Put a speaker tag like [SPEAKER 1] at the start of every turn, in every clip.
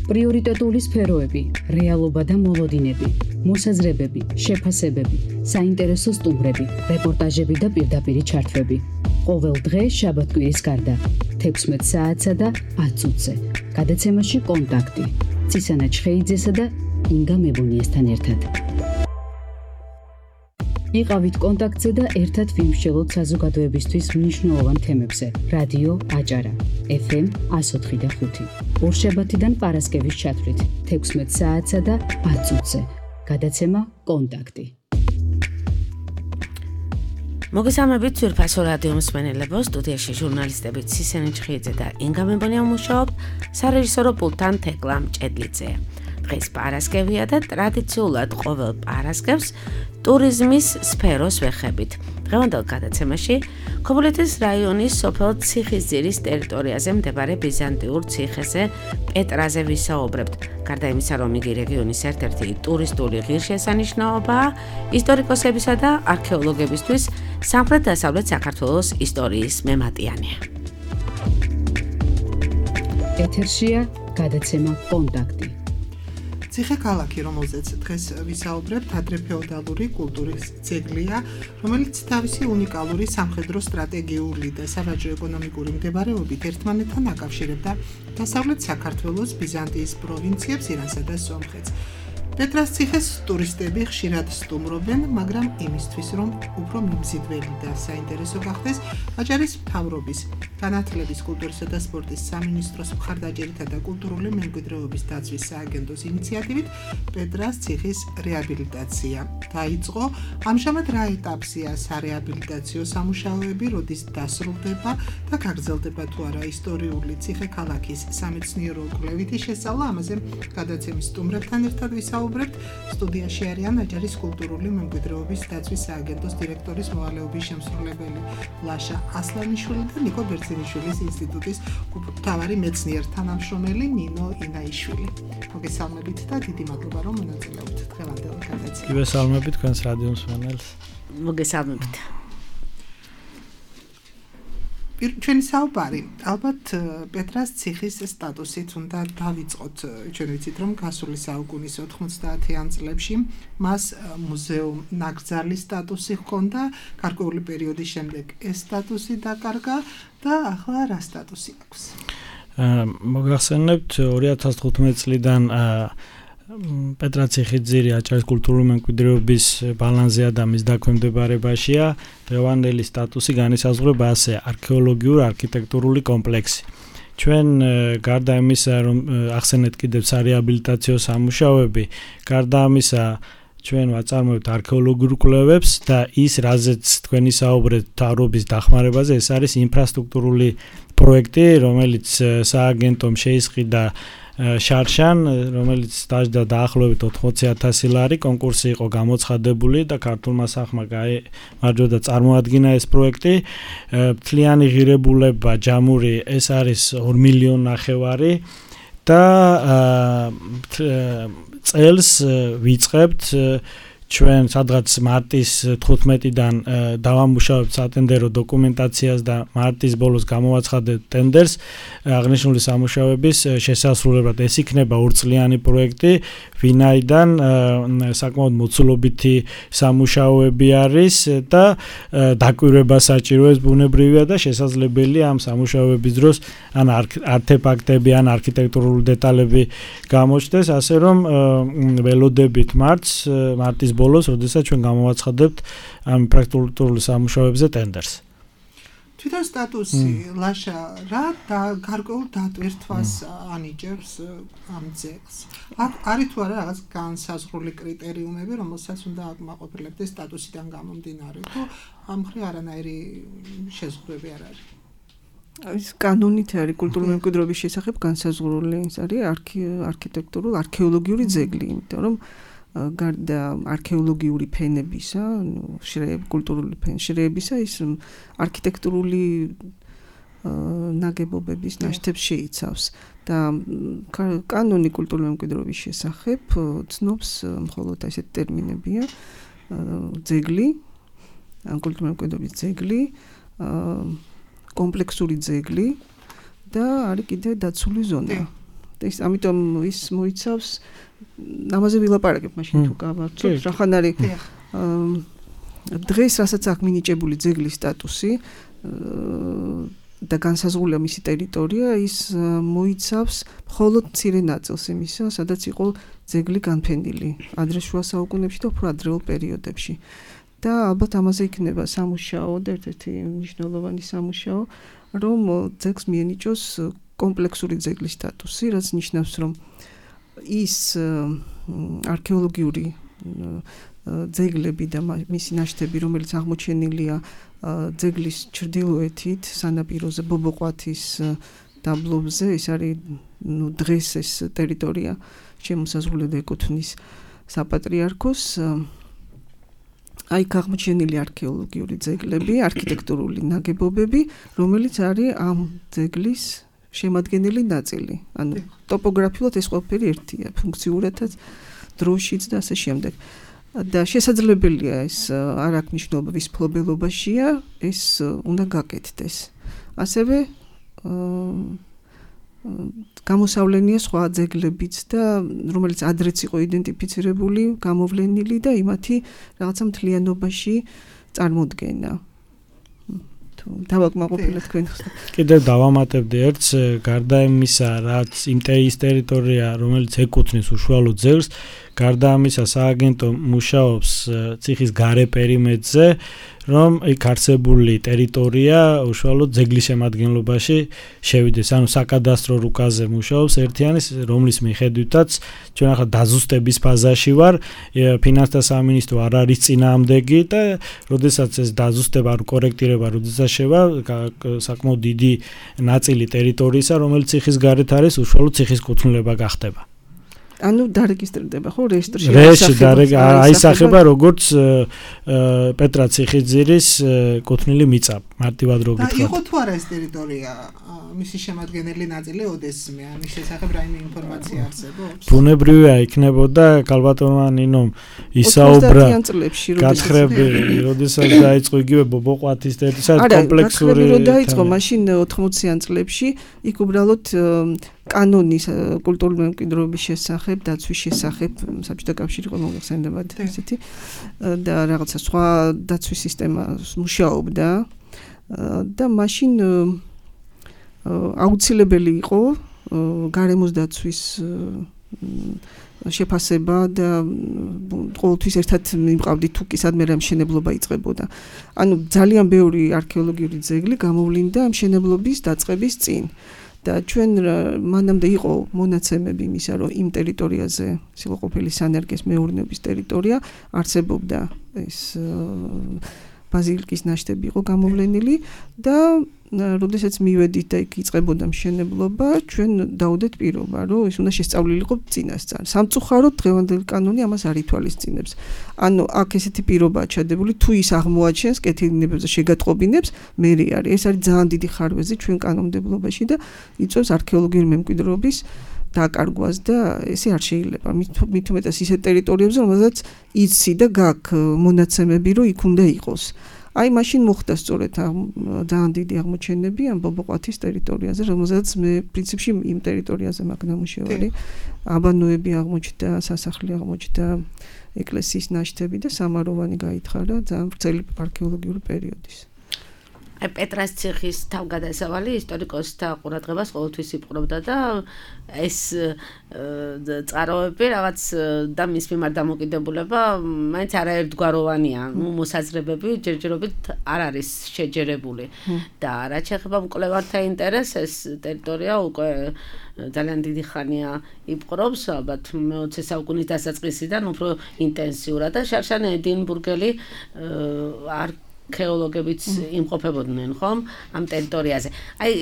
[SPEAKER 1] პრიორიტეტული სფეროები, რეალობა და მოლოდინები, მოსაზრებები, შეფასებები, საინტერესო სტუმრები, რეპორტაჟები და პირდაპირი ჩართვები. ყოველ დღე შაბათ-კვირის გარდა 16 საათსა და 10 წუთზე. გადაცემაში კონტაქტი. ცისანა ჩხეიძესა და ინგა მებუნიესთან ერთად. იყავით კონტაქტზე და ერთად ვიმსჯელოთ საზოგადოებისთვის მნიშვნელოვან თემებზე. რადიო აჭარა, FM 104.5. ორშაბათიდან პარასკევის ჩათვლით 16 საათსა და 10 წუთზე. გადაცემა კონტაქტი.
[SPEAKER 2] მოგესალმებით ძვირფასო რადიო მსმენელებო, სტუდიაში ჟურნალისტები ცისანა ჩხეიძე და ინგა მებუნია მუშაობთ, სარეჟისორო პულტთან თეკლა მჭედლიძეა. დღეს პარასკევია და ტრადიციულად ყოველ პარასკევს ტურიზმის სფეროს ვეხებით. დღევანდელ გადაცემაში ქობულეთის რაიონის სოფელ ციხისძირის ტერიტორიაზე მდებარე ბიზანტიურ ციხეზე პეტრაზე ვისაუბრებთ. გარდა იმისა, რომ იგი რეგიონის ერთ-ერთი ტურისტული ღირსშესანიშნაობაა, ისტორიკოსებისა და არქეოლოგებისთვის სამხრეთ-დასავლეთ საქართველოს ისტორიის მემატიანია.
[SPEAKER 1] ეთერშია გადაცემა კონტაქტი.
[SPEAKER 3] ციხე-ქალაქი, რომელზეც დღეს ვისაუბრებთ, ადრეფეოდალური კულტურის ძეგლია, რომელიც თავისი უნიკალური სამხედრო სტრატეგიული და სავაჭრო-ეკონომიკური მდებარეობით ერთმანეთთან აკავშირებდა დასავლეთ საქართველოს ბიზანტიის პროვინციებს, ირანსა და სომხეთს. პეტრას ციხეს ტურისტები ხშირად სტუმრობენ, მაგრამ იმისთვის, რომ უფრო მიმზიდველი და საინტერესო გახდეს, აჭარის მთავრობის, განათლების, კულტურისა და სპორტის სამინისტროს მხარდაჭერითა და კულტურული მემკვიდრეობის დაცვის სააგენტოს ინიციატივით პეტრას ციხის რეაბილიტაცია დაიწყო. ამჟამად რა ეტაპზეა სარეაბილიტაციო სამუშაოები, როდის დასრულდება და გაგრძელდება თუ არა ისტორიული ციხე-ქალაქის სამეცნიერო-კვლევითი შესწავლა, ამაზე გადაცემის სტუმრებთან ერთად ვისაუბრებთ. სტუდიაში არიან აჭარის კულტურული მემკვიდრეობის დაცვის სააგენტოს დირექტორის მოვალეობის შემსრულებელი ლაშა ასლანიშვილი და ნიკო ბერძენიშვილის ინსტიტუტის მთავარი მეცნიერ-თანამშრომელი ნინო ინაიშვილი. მოგესალმებით და დიდი მადლობა, რომ მონაწილეობთ დღევანდელ გადაცემაში.
[SPEAKER 4] მოგესალმებით თქვენს რადიო მსმენელს.
[SPEAKER 2] მოგესალმებით.
[SPEAKER 3] ჩვენი საუბარი ალბათ პეტრას ციხის სტატუსით უნდა დავიწყოთ. ჩვენ ვიცით, რომ გასული საუკუნის 90-იან წლებში მას მუზეუმ ნაკრძალის სტატუსი ჰქონდა, გარკვეული პერიოდის შემდეგ ეს სტატუსი დაკარგა და ახლა რა სტატუსი აქვს?
[SPEAKER 4] მოგახსენებთ 2015 წლიდან პეტრა ციხისძირი აჭარის კულტურული მემკვიდრეობის ბალანსზე და მის დაქვემდებარებაშია. დღევანდელი სტატუსი განისაზღვრება ასე: არქეოლოგიურ არქიტექტურული კომპლექსი. ჩვენ გარდა იმისა, რომ ახსენეთ კიდევ სარეაბილიტაციო სამუშაოები, გარდა ამისა ჩვენ ვაწარმოებთ არქეოლოგიურ კვლევებს და ის, რაზეც თქვენი საუბრეთ მთავრობის დახმარებაზე, ეს არის ინფრასტრუქტურული პროექტი, რომელიც სააგენტომ შეისყიდა შარშან, რომელიც დაჯდა დაახლოებით 80,000 ლარი, კონკურსი იყო გამოცხადებული და ქართულმა სახმა გამარჯვდა წარმოადგინა ეს პროექტი. მთლიანი ღირებულება ჯამური ეს არის 2,5 მილიონი და წელს ვიწყებთ ჩვენ სადღაც მარტის 15-დან დავამუშავებთ სატენდერო დოკუმენტაციას და მარტის ბოლოს გამოვაცხადებთ ტენდერს აღნიშნული სამუშაოების შესასრულებლად. ეს იქნება ორწლიანი პროექტი, ვინაიდან საკმაოდ მოცულობითი სამუშაოები არის და დაკვირვება საჭიროებს ბუნებრივია და შესაძლებელია ამ სამუშაოების დროს ან არტეფაქტები, ან არქიტექტურული დეტალები გამოჩნდეს, ასე რომ ველოდებით მარტის ბოლოს, როდესაც ჩვენ გამოვაცხადებთ ამ პრაქტიკული სამუშაოებზე ტენდერს.
[SPEAKER 3] თვითონ სტატუსი ლაშა რა და გარკვეულ დატვირთვას ანიჭებს ამ ძეგლს. არის თუ არა რაღაც განსაზღვრული კრიტერიუმები, რომელსაც უნდა აკმაყოფილებდეს სტატუსიდან გამომდინარე, თუ ამ მხრივ არანაირი შეზღუდვები არ არის?
[SPEAKER 5] ის კანონით არის კულტურული მემკვიდრეობის შესახებ განსაზღვრული, ეს არის არქიტექტურული არქეოლოგიური ძეგლი, იმიტომ რომ გარდა არქეოლოგიური ფენებისა, კულტურული შრეებისა, ის არქიტექტურული ნაგებობების ნაშთებს შეიცავს და კანონი კულტურული მემკვიდრეობის შესახებ ცნობს მხოლოდ ესეთი ტერმინებია: ძეგლი, კულტურული მემკვიდრეობის ძეგლი, კომპლექსური ძეგლი და არის კიდევ დაცული ზონა. ეს ამიტომ ის მოიცავს ამაზე ვილაპარაკებ მაშინ თუ გავარცოთ რახან არის დღეს რასაც აქვს მინიჭებული ძეგლის სტატუსი და განსაზღვრულია მისი ტერიტორია ის მოიცავს მხოლოდ მცირე ნაწილს იმისა სადაც იყო ძეგლი განფენილი ადრე შუა საუკუნეებში და უფრო ადრეულ პერიოდებში და ალბათ ამაზე იქნება სამუშაო და ერთ-ერთი მნიშვნელოვანი სამუშაო რომ ძეგლს მიენიჭოს კომპლექსური ძეგლის სტატუსი რაც ნიშნავს რომ ის არქეოლოგიური ძეგლები და მისი ნაშთები რომელიც აღმოჩენილია ძეგლის ჩრდილოეთით სანაპიროზე ბობოყვათის დაბლობზე ეს არის დღეს ეს ტერიტორია შემოსაზღვრული და ეკუთვნის საპატრიარქოს აი აღმოჩენილი არქეოლოგიური ძეგლები არქიტექტურული ნაგებობები რომელიც არის ამ ძეგლის შემადგენელი ნაწილი ანუ ტოპოგრაფიულად ეს ყველაფერი ერთია ფუნქციურადაც დროშიც და ასე შემდეგ და შესაძლებელია ეს არ აქვს მნიშვნელობა ვის მფლობელობაშია ეს უნდა გაკეთდეს ასევე გამოსავლენია სხვა ძეგლებიც და რომელიც ადრეც იყო იდენტიფიცირებული გამოვლენილი და იმათი რაღაცა მთლიანობაში წარმოდგენა დავაკმაყოფილეთ თქვენ
[SPEAKER 4] კიდევ დავამატებდი ერთს გარდა იმისა რაც იმ ტერიტორია რომელიც ეკუთვნის უშუალო ძეგლს გარდა ამისა სააგენტო მუშაობს ციხის გარე პერიმეტრზე რომ იქ არსებული ტერიტორია უშუალოდ ძეგლის შემადგენლობაში შევიდეს ანუ საკადასტრო რუკაზე მუშაობს ერთიანის რომლის მიხედვითაც ჩვენ ახლა დაზუსტების ფაზაში ვარ ფინანსთა სამინისტრო არ არის წინააღმდეგი და როდესაც ეს დაზუსტება ან კორექტირება როდესაც შევა საკმაოდ დიდი ნაწილი ტერიტორიისა რომელიც ციხის გარეთ არის უშუალოდ ციხის კუთვნილება გახდება
[SPEAKER 5] ანუ დარეგისტრირდება ხო რეესტრში
[SPEAKER 4] აისახება როგორც პეტრა ციხიძირის კუთვნილი მიწა მარტივად რო გითხრათ
[SPEAKER 3] იყო თუ არა ეს ტერიტორია მისი შემადგენელი ნაწილი ოდესმე ამის შესახებ რაიმე ინფორმაცია არსებობს
[SPEAKER 4] ბუნებრივია იქნებოდა კალბატონანინომ ისაუბრა გათხრები როდესაც დაიწყო იგივე ბობოყვათის ტერიტორია კომპლექსური
[SPEAKER 5] არა დაიწყო მაშინ 80-იან წლებში იქ უბრალოდ კანონის კულტურული მემკვიდრეობის შესახებ, დაცვის შესახებ საბჭოთა კავშირი იყო მოიხსენებათ ესეთი და რაღაცა სხვა დაცვის სისტემა მუშაობდა და მაშინ აუცილებელი იყო გარემოს დაცვის შეფასება და ყოველთვის ერთად მიმყავდით თუ კი სადმე რა მშენებლობა იწყებოდა. ანუ ძალიან ბევრი არქეოლოგიური ძეგლი გამოვლინდა მშენებლობის დაწყების წინ. და ჩვენ მანამდე იყო მონაცემები იმისა, რომ იმ ტერიტორიაზე, ის იყო ყოფილი სანერგეს მეურნეობის ტერიტორია, არსებობდა ეს ბაზილიკის ნაშთები იყო გამოვლენილი და როდესაც მივედით და იქ იწყებოდა მშენებლობა, ჩვენ დავუდეთ პირობა, რომ ეს უნდა შესწავლილიყო წინასწარ. სამწუხაროდ დღევანდელი კანონი ამას არ ითვალისწინებს. ანუ აქ ესეთი პირობაა ჩადებული, თუ ის აღმოაჩენს კეთილინებებზე შეგატყობინებს, მე არის. ეს არის ძალიან დიდი ხარვეზი ჩვენ კანონმდებლობაში და იწვევს არქეოლოგიური მემკვიდრეობის დაკარგვას და ესე არ შეიძლება. მით უმეტეს ისეთ ტერიტორიებზე, რომელსაც იცი და გაქვს მონაცემები, რომ იქ უნდა იყოს. აი მაშინ მოხდა სწორედ ძალიან დიდი აღმოჩენები ამ ბობოყვათის ტერიტორიაზე, რომელსაც მე პრინციპში იმ ტერიტორიაზე მაქვს ნამუშევარი. აბანოები აღმოჩნდა, სასახლე აღმოჩნდა, ეკლესიის ნაშთები და სამაროვანი გაითხარა ძალიან ვრცელი არქეოლოგიური პერიოდის.
[SPEAKER 2] აი პეტრას ციხის თავგადასავალი ისტორიკოსთა ყურადღებას ყოველთვის იპყრობდა და ეს წყაროები რაღაც და მის მიმართ დამოკიდებულება მაინც არაერთგვაროვანია. მოსაზრებები ჯერჯერობით არ არის შეჯერებული და რაც შეეხება მკვლევართა ინტერესს ეს ტერიტორია უკვე ძალიან დიდი ხანია იპყრობს ალბათ მე-20 საუკუნის დასაწყისიდან უფრო ინტენსიურად და შარშან ედინბურგელი არქეოლოგებიც იმყოფებოდნენ ხომ ამ ტერიტორიაზე. აი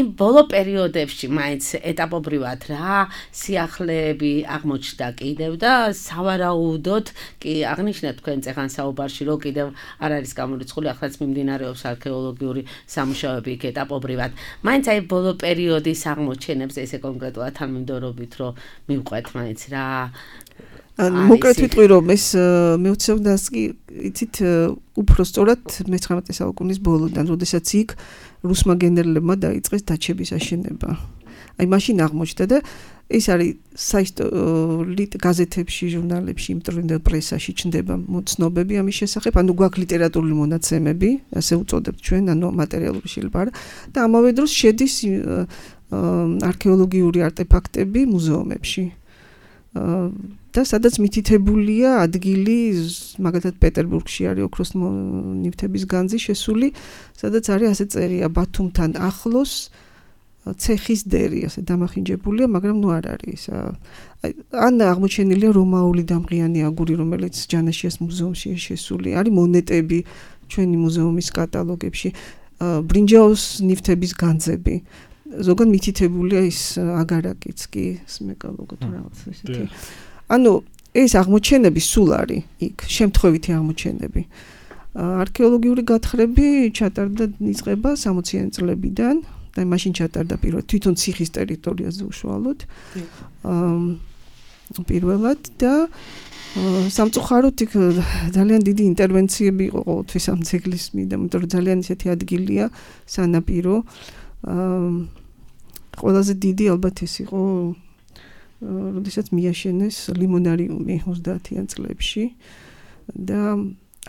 [SPEAKER 2] იმ ბოლო პერიოდებში მაინც ეტაპობრივად რა სიახლეები აღმოჩნდა კიდევ და სავარაუდოდ კი აღნიშნეთ თქვენ წეხან საუბარში რომ კიდევ არ არის გამორიცხული ახლაც მიმდინარეობს არქეოლოგიური სამუშაოები იქ ეტაპობრივად. მაინც აი ბოლო პერიოდის აღმოჩენებს ესე კონკრეტულად თანმიმდევრობით რომ მივყვეთ მაინც რა
[SPEAKER 5] მოკლედ ვიტყვი რომ ეს მეოცეოდანს კი იცით უფრო სწორად მე-19 საუკუნის ბოლოდან, როდესაც იქ რუსმა გენერლებმა დაიწყეს დაჩების აშენება. აი მაშინ აღმოჩნდა და ეს არის საერთოდ გაზეთებში, ჟურნალებში, იმდროინდელ პრესაში ჩნდება ცნობები ამის შესახებ, ანუ გვაქვს ლიტერატურული მონაცემები, ასე უწოდებთ ჩვენ, ანუ მატერიალური შეიძლება არა და ამავე დროს შედის არქეოლოგიური არტეფაქტები მუზეუმებში. და სადაც მითითებულია ადგილი, მაგალითად პეტერბურგში არის ოქროს ნივთების განძი შესული, სადაც არის ასე წერია ბათუმთან ახლოს ცეხის დერი, ასე დამახინჯებულია, მაგრამ ნუ არ არის. ან აღმოჩენილია რომაული დამღიანი აგური, რომელიც ჯანაშიას მუზეუმში შესული, არის მონეტები ჩვენი მუზეუმის კატალოგებში, ბრინჯაოს ნივთების განძები. ზოგან მითითებულია ის აგარაკიც კი, სმეკალოგო თუ რაღაც ესეთი. ანუ ეს აღმოჩენები სულ არის იქ, შემთხვევითი აღმოჩენები. არქეოლოგიური გათხრები ჩატარდა იწყება 60-იან წლებიდან და მაშინ ჩატარდა პირველად თვითონ ციხის ტერიტორიაზე უშუალოდ. პირველად და სამწუხაროდ იქ ძალიან დიდი ინტერვენციები იყო ყოველთვის ამ ძეგლის მიდამო, იმიტომ რომ ძალიან ისეთი ადგილია სანაპირო. ყველაზე დიდი ალბათ ეს იყო როდესაც მიაშენეს ლიმონარიუმი 30-იან წლებში და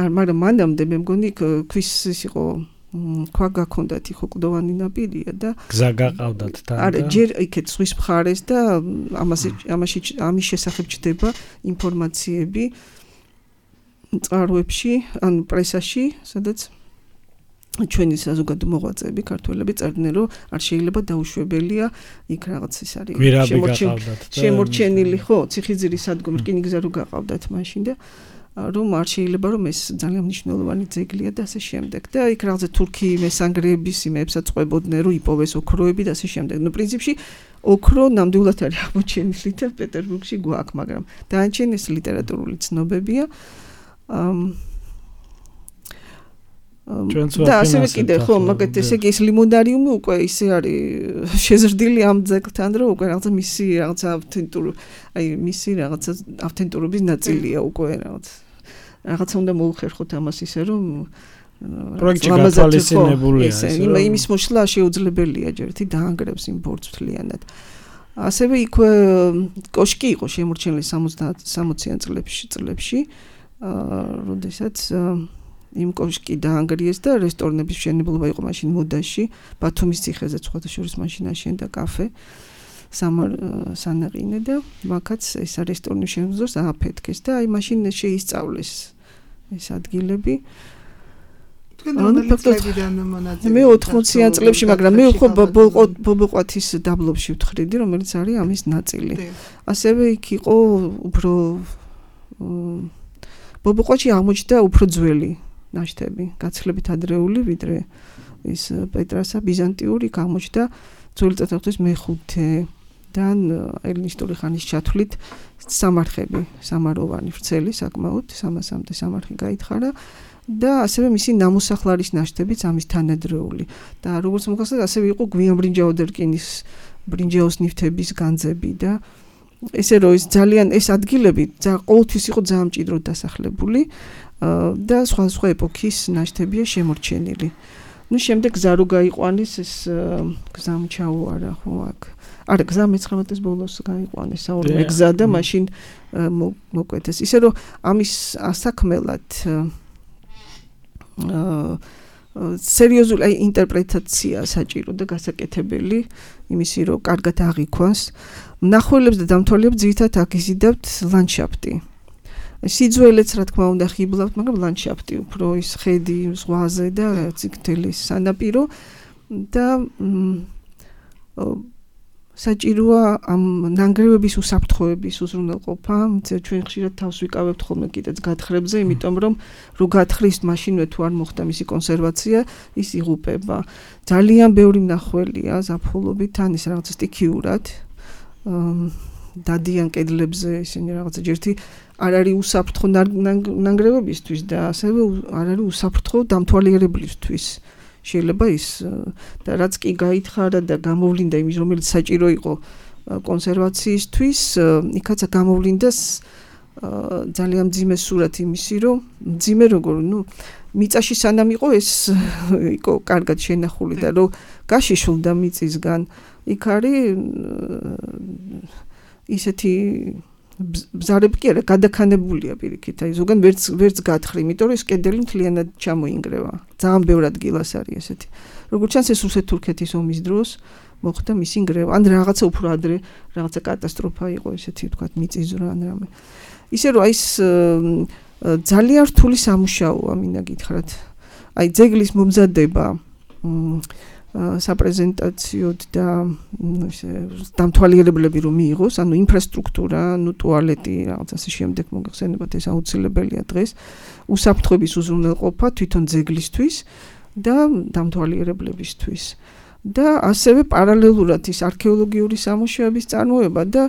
[SPEAKER 5] მაგრამ მანამდე მე მგონი ქვის ის იყო ქვა გაქონდათ იყო კლდოვანი ნაპირია და
[SPEAKER 4] გზა გაყავდათ თან და
[SPEAKER 5] არა ჯერ იქეთ ზღვის მხარეს და ამის შესახებ ჩდება ინფორმაციები წყაროებში ან პრესაში სადაც ჩვენი საზოგადო მოღვაწეები ქართველები წერდნენ რომ არ შეიძლება დაუშვებელია იქ რაღაც ის არის შემორჩენილი ხო ციხისძირის სადგომი რკინიგზა რო გაყავდათ მაშინ და რომ არ შეიძლება რომ ეს ძალიან მნიშვნელოვანი ძეგლია და ასე შემდეგ და იქ რაღაცა თურქი მესანგრეების იმებსაც ყვებოდნენ რომ იპოვეს ოქროები და ასე შემდეგ. ნუ პრინციპში ოქრო ნამდვილად არის აღმოჩენილი და პეტერბურგში გვაქვს, მაგრამ დაანჩენ ეს ლიტერატურული ცნობებია. და ასევე კიდე ხო მაგათ ესე იგი ეს ლიმონარიუმი უკვე ისე არის შეზრდილი ამ ძეგლთან რომ უკვე რაღაცა მისი რაღაცა ავთენტურობის ნაწილია უკვე რაღაცა უნდა მოუხერხოთ ამას ისე რომ
[SPEAKER 4] პროექტი გათვალისწინებულია
[SPEAKER 5] იმის მოშლა შეუძლებელია ჯერთი დაანგრევს იმ ბორცვს მთლიანად. ასევე იქვე კოშკი იყო შემორჩენილი 60-იან წლებში როდესაც იმ კოშკი დაანგრიეს და რესტორნების მშენებლობა იყო მაშინ მოდაში ბათუმის ციხეზე სხვადასხვა მაშინ აშენდა კაფე სანაყინე და მაგაც ეს რესტორნის შემოძროს ააფეთქეს და აი მაშინ შეისწავლეს ეს ადგილები მე 80-იან წლებში მაგრამ მე ხო ბობოყვათის დაბლობში ვთხრიდი რომელიც არის ამის ნაწილი ასევე იქ იყო უფრო ბობოყვათში აღმოჩნდა უფრო ძველი ნაშთები, გაცილებით ადრეული, ვიდრე ის პეტრასა ბიზანტიური გამოჩნდა ძველი წარსულის მეხუთედან ელინისტური ხანის ჩათვლით სამარხები, სამაროვანი ვრცელი საკმაოდ 300-მდე სამარხი გაითხარა და ასევე მისი ნამოსახლარის ნაშთებიც ამის თანადროული და როგორც მოხდა ასევე იყო გვიანბრინჯაო დერკინის ბრინჯაოს ნივთების განძები და ესე რომ ეს ძალიან ეს ადგილები ყოველთვის იყო ძალიან მჭიდროდ დასახლებული და სხვა ეპოქის ნაშთებია შემორჩენილი. ნუ შემდეგ გზა რო გაიყვანეს ეს გზამ ჩაუარა ხო აქ. არა გზა მე-19-ის ბოლოს გაიყვანეს საორმე გზა და მაშინ მოკვეთეს. ისე რომ ამის ასაქმელად სერიოზული ინტერპრეტაცია საჭირო და გასაკეთებელი იმისი რომ კარგად აღიქვას. მნახველებს და დამთვალიერებს ძირითადად აკიზიდავთ ლანდშაფტი. სიძველეც რა თქმა უნდა ხიბლავთ, მაგრამ ლანდშაფტი უფრო ის ხედი ზღვაზე და ციხთელის სანაპირო და საჭიროა ამ ნანგრევების უსაფრთხოების უზრუნველყოფა. ჩვენ ხშირად თავს ვიკავებთ ხოლმე კიდეც გათხრებზე, იმიტომ რომ რო გათხრist მაშინვე თუ არ მოხდა მისი კონსერვაცია, ის იღუპება. ძალიან ბევრი მნახველია ზაფხულობით, თან ის რაღაც სტიქიურად დადიან კედლებზე ისინი რაღაცა ჯერთი არ არის უსაფრთხო ნანგრევებისთვის და ასევე არ არის უსაფრთხო დამთვალიერებლისთვის. შეიძლება ის და რაც კი გაითხარა და გამოვლინდა იმის რომელიც საჭირო იყო კონსერვაციისთვის, იქაც გამოვლინდა ძალიან მძიმე სურათი იმისი, რომ მძიმე როგორ, მიწაში სანამ იყო ეს იყო კარგად შენახული და რომ გაშიშულდა მიწისგან იქ არის ისეთი ბზარები კი არა, გადაქანებულია პირიქით. აი ზოგან ვერც გათხრი, იმიტომ რომ ეს კედელი მთლიანად ჩამოინგრევა. ძალიან ბევრ ადგილას არის ესეთი. როგორც ჩანს ეს რუსეთ-თურქეთის ომის დროს მოხდა მისი ნგრევა. ან რაღაცა უფრო ადრე, რაღაცა კატასტროფა იყო ესეთი ვთქვათ მიწისძვრა ან რამე. ისე რომ აი ეს ძალიან რთული სამუშაოა, მინდა გითხრათ. აი ძეგლის მომზადება საპრეზენტაციოდ და დამთვალიერებლები რომ მიიღოს, ანუ ინფრასტრუქტურა, ტუალეტი, რაღაც ასე შემდეგ მოგეხსენებათ, ეს აუცილებელია დღეს. უსაფრთხოების უზრუნველყოფა თვითონ ძეგლისთვის და დამთვალიერებლებისთვის. და ასევე პარალელურად ის არქეოლოგიური სამუშაოების წარმოება და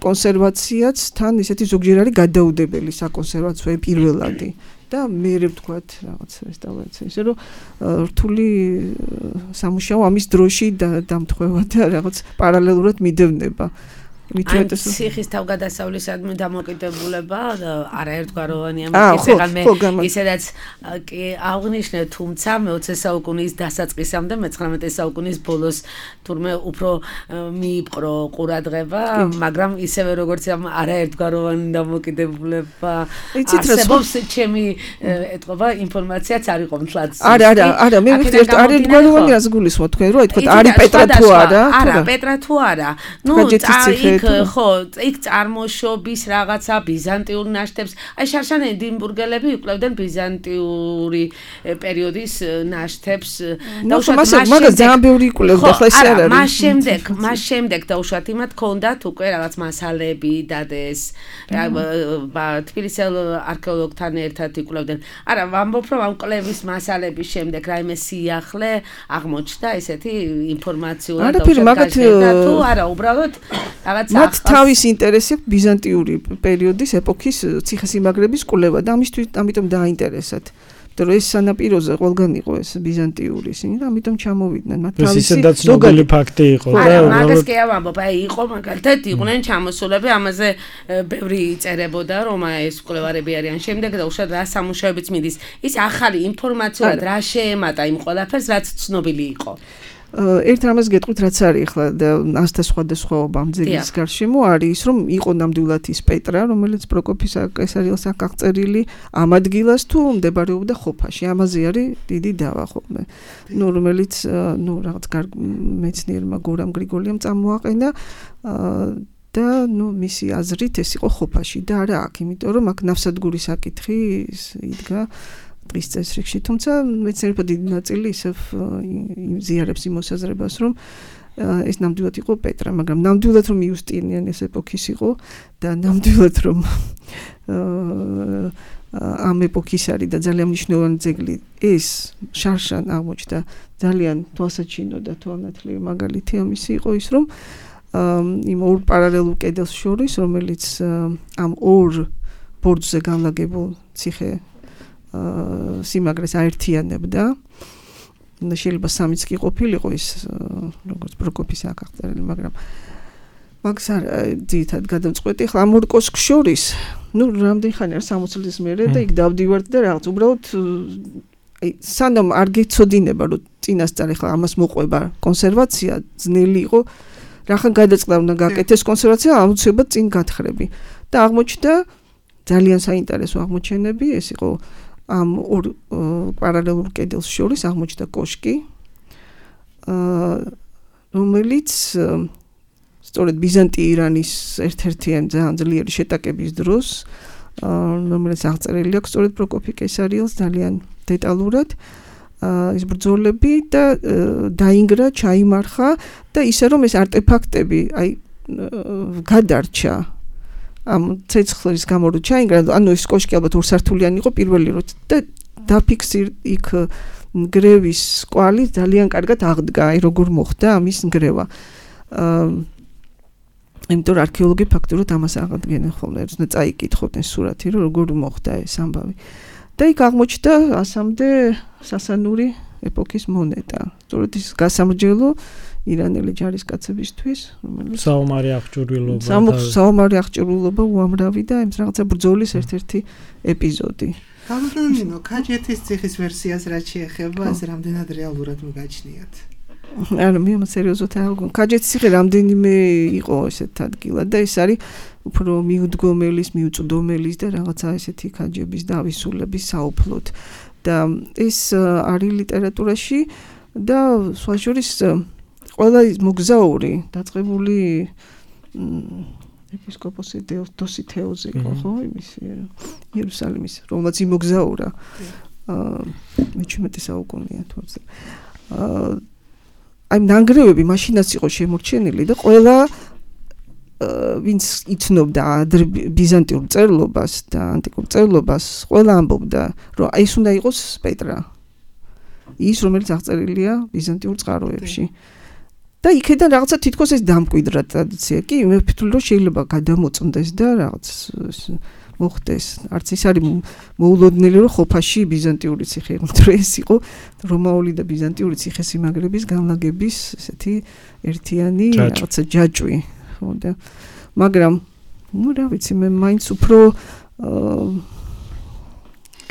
[SPEAKER 5] კონსერვაციაც თან ისეთი ზოგჯერ არის გადაუდებელი საკონსერვაციო პირველადი. და მე ვთქვათ რაღაც რესტავრაცია, ისე რომ რთული სამუშაო ამის დროში დამთხვევა და რაღაც პარალელურად მიდევნება.
[SPEAKER 2] ციხის თავგადასავლისადმი დამოკიდებულება არაერთგვაროვანია, მე ისედაც კი აღნიშნე, თუმცა მე-20 საუკუნის დასაწყისამდე, მე-19 საუკუნის ბოლოს თურმე უფრო მიიპყრო ყურადღება, მაგრამ ისევე როგორც ამ არაერთგვაროვანი დამოკიდებულება არსებობს, ჩემი ეთყობა ინფორმაციაც არ იყო მთლად.
[SPEAKER 5] არა, მე ვიხდით არაერთგვაროვანი რას გულისხმობთ თქვენ, რომ ითქვათ არის პეტრა თუ არა?
[SPEAKER 2] არა, პეტრა თუ არა. ნუ ხო, იქ წარმოშობის რაღაცა ბიზანტიურ ნაშთებს. აი შარშან ედინბურგელები იკვლევდნენ ბიზანტიური პერიოდის ნაშთებს.
[SPEAKER 5] მაგას ძალიან ბევრი იკვლევდა, ხო ეს არ არის.
[SPEAKER 2] მას შემდეგ დაუშვათ იმათ ჰქონდათ უკვე რაღაც მასალები დადეს. თბილისელ არქეოლოგთან ერთად იკვლევდნენ. არა, ვამბობ რომ ამ კვლევის მასალების შემდეგ რაიმე სიახლე აღმოჩნდა ესეთი ინფორმაციურად თუ არა, უბრალოდ რაღაც
[SPEAKER 5] მათ თავის ინტერესი ბიზანტიური პერიოდის ეპოქის ციხესიმაგრების კვლევა და ამიტომ დააინტერესათ. იმიტომ რომ ეს სანაპიროზე ყველგან იყო ეს ბიზანტიური ისინი და ამიტომ ჩამოვიდნენ. მათ
[SPEAKER 4] თავისი ზოგადად ფაქტი იყო და
[SPEAKER 2] მაგას კი ავამბობ, აი იყო მაგალითად იყვნენ ჩამოსულები, ამაზე ბევრი იწერებოდა რომ ეს კვლევარები არიან შემდეგ და უშუალოდ რა სამუშაოებიც მიდის. ის ახალი ინფორმაციულად რა შეემატა იმ ყველაფერს, რაც ცნობილი იყო.
[SPEAKER 5] ერთ რამას გეტყვით, რაც არის ახლა და ასთა სხვადასხვაობა ამ ძეგლის გარშემო არის ის, რომ იყო ნამდვილად ის პეტრა, რომელიც პროკოფის კესარიელს აქ აღწერილი ამ ადგილას თუ მდებარეობდა ხოფაში. ამაზე არის დიდი დავა ხოლმე. რომელიც რაღაც მეცნიერმა გორამ გრიგოლიამ წამოაყენა და მისი აზრით ეს იყო ხოფაში და არა აქ, იმიტომ რომ აქ ნავსადგურის საკითხი იდგა დღის წესრიგში, თუმცა მეცნიერებმა დიდი ნაწილი ისევ იმზიარებს იმ მოსაზრებას, რომ ეს ნამდვილად იყო პეტრა, მაგრამ ნამდვილად რომ იუსტინიანეს ეპოქის იყო და ნამდვილად რომ ამ ეპოქის არის და ძალიან მნიშვნელოვანი ძეგლი ეს შარშან აღმოჩნდა ძალიან თვალსაჩინო და თვალნათლივი მაგალითი ამისი იყო ის, რომ იმ ორ პარალელურ კედელს შორის, რომელიც ამ ორ ბორცვზე განლაგებულ ციხე სიმაგრეს აერთიანებდა. შეიძლება სამიც კი ყოფილიყო ის როგორც პროკოფის აქ აღწერილი, მაგრამ მაგს არ ძირითადად გადამწყვეტი. ახლა ამ ორ კოშკს შორის, რამდენი ხანი არის 60 წლის მერე და იქ დავდივართ და რაღაც უბრალოდ აი სანამ არ გეცოდინება, რომ წინასწარ ახლა ამას მოყვება კონსერვაცია, ძნელი იყო. რახან გადაწყდა უნდა გაკეთდეს კონსერვაცია, აუცილებლად წინ გათხრები. და აღმოჩნდა ძალიან საინტერესო აღმოჩენები, ეს იყო ამ ორ პარალელურ კედელს შორის აღმოჩნდა კოშკი, რომელიც სწორედ ბიზანტი-ირანის ერთ-ერთიანი ძალიან ძლიერი შეტაკების დროს, რომელიც აღწერილი აქვს სწორედ პროკოფი კესარიელს ძალიან დეტალურად, ის ბრძოლები და დაინგრა, ჩაიმარხა და ისე რომ ეს არტეფაქტები აი გადარჩა ამ ცეცხლის გამო რო ჩაინგრა, ანუ ეს კოშკი ალბათ ორსართულიანი იყო პირველი რო და დაფიქსირ იქ ნგრევის კვალი ძალიან კარგად აღდგა, აი როგორ მოხდა ამის ნგრევა. იმიტომ რომ არქეოლოგი ფაქტურად ამას აღადგენენ ხოლმე, უნდა წაიკითხოდნენ სურათი, რომ როგორ მოხდა ეს ამბავი. და იქ აღმოჩნდა ასამდე სასანური ეპოქის მონეტა. სწორედ ის გასამრჯელო ირანელი ჯარისკაცებისთვის, რომელიც
[SPEAKER 4] საომარი აღჭურვილობა,
[SPEAKER 5] საომარი აღჭურვილობა უამრავი და ეს რაღაცა ბრძოლის ერთ-ერთი ეპიზოდი.
[SPEAKER 3] გამოდნინო, ქაჯეთის ციხის ვერსიას რაც შეეხება, ეს რამდენად რეალურად მოგაჩნიათ?
[SPEAKER 5] არა, მე სერიოზულად არ გქონდა. ქაჯეთის ციხე რამდენიმე იყო ესეთ ადგილად და ეს არის უფრო მიუდგომელის, მიუწვდომელის და რაღაცა ესეთი ქაჯების და ავისულების საუფლოდ. და ეს არის ლიტერატურაში და სხვა შორის ყველა მოგზაური დაწყებული ეპისკოპოსი დოსითეოზი იყო, ხო, იმის იერუსალიმის, რომელმაც იმოგზაურა. მე-17 საუკუნეა თორსა. აი ნანგრევები მაშინაც იყო შემორჩენილი და ყველა ვინც იცნობდა ბიზანტიურ წერლობას და ანტიკურ წერლობას, ყველა ამბობდა, რომ ეს უნდა იყოს პეტრა. ის რომელიც აღწერილია ბიზანტიურ წყაროებში. და იქიდან რაღაცა თითქოს ეს დამკვიდრა ტრადიცია. კი, მე ვფიქრობ, რომ შეიძლება გადამოწმდეს და რაღაც მოხდეს. არც ის არის მოულოდნელი, რომ ხოფაში ბიზანტიური ციხე იყო, ეს იყო რომაული და ბიზანტიური ციხესიმაგრების განლაგების ესეთი ერთიანი რაღაცა ჯაჭვი. ხო და მაგრამ ნუ რა ვიცი მე მაინც უფრო